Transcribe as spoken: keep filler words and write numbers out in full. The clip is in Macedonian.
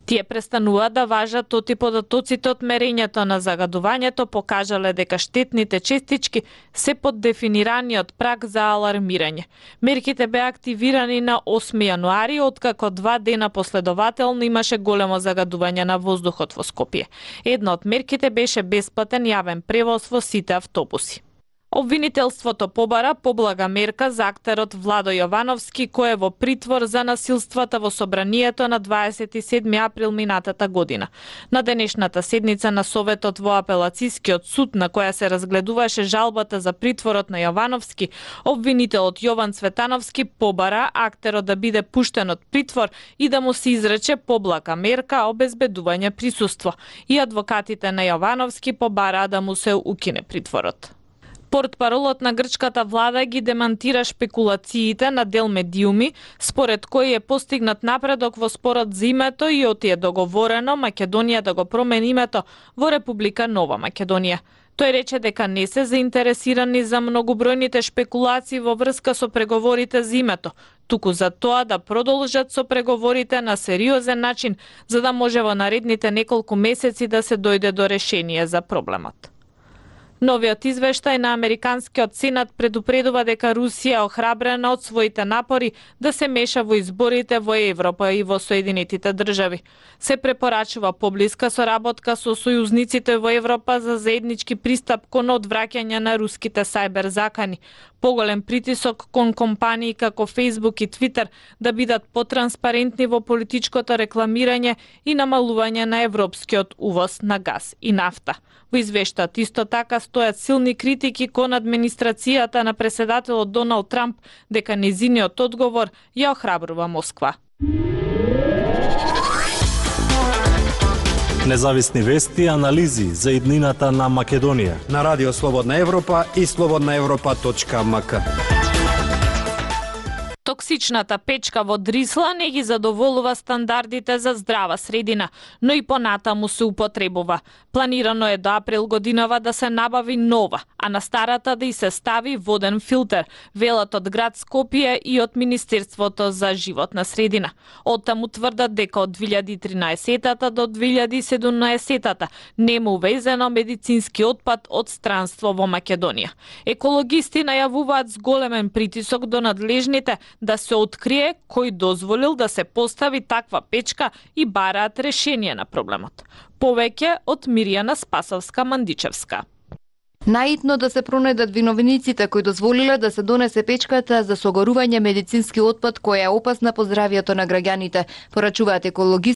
Тие престануваат да важат оти податоците од мерењето на загадувањето покажале дека штетните честички се под дефинираниот праг за алармирање. Мерките беа активирани на осми јануари, откако два дена последователно имаше големо загадување на воздухот во Скопје. Една од мерките беше бесплатен јавен превоз во сите автобуси. Обвинителството побара поблага мерка за актерот Владо Јовановски, кој е во притвор за насилствата во собранието на дваесет и седми април минатата година. На денешната седница на Советот во апелацискиот суд, на која се разгледуваше жалбата за притворот на Јовановски, обвинителот Јован Цветановски побара актерот да биде пуштен од притвор и да му се изрече поблага мерка обезбедување присуство. И адвокатите на Јовановски побараа да му се укине притворот. Портпаролот на грчката влада ги демантира шпекулациите на дел медиуми, според кои е постигнат напредок во спорот за името и оти е договорено Македонија да го промени името во Република Нова Македонија. Тој рече дека не се заинтересирани за многобројните шпекулации во врска со преговорите за името, туку за тоа да продолжат со преговорите на сериозен начин, за да може во наредните неколку месеци да се дојде до решение за проблемот. Новиот извештај на Американскиот сенат предупредува дека Русија е охрабрена од своите напори да се меша во изборите во Европа и во Соединетите држави. Се препорачува поблиска соработка со сојузниците во Европа за заеднички пристап кон одвраќање на руските сајбер закани, поголем притисок кон компании како Facebook и Twitter да бидат потранспарентни во политичкото рекламирање и намалување на европскиот увоз на газ и нафта. Во извештајот исто така стојат силни критики кон администрацијата на преседателот Доналд Трамп дека незиниот одговор ја охрабрува Москва. Независни вести и анализи за иднината на Македонија на Радио Слободна Европа и слободна европа точка ем ка. Токсичната печка во Дрисла не ги задоволува стандардите за здрава средина, но и понатаму се употребува. Планирано е до април годинава да се набави нова, а на старата да и се стави воден филтер, велат од град Скопје и од Министерството за животна средина. Оттаму тврдат дека од две илјади и тринаесетта до две илјади и седумнаесетта нема увезено медицински отпад од странство во Македонија. Екологисти најавуваат зголемен притисок до надлежните да се открие кој дозволил да се постави таква печка и бараат решение на проблемот. Повеќе од Мирјана Спасовска-Мандичевска. Наитно да се пронајдат виновниците кои дозволиле да се донесе печката за согорување медицински отпад која е опасна по здравието на граѓаните, порачуваат екологисти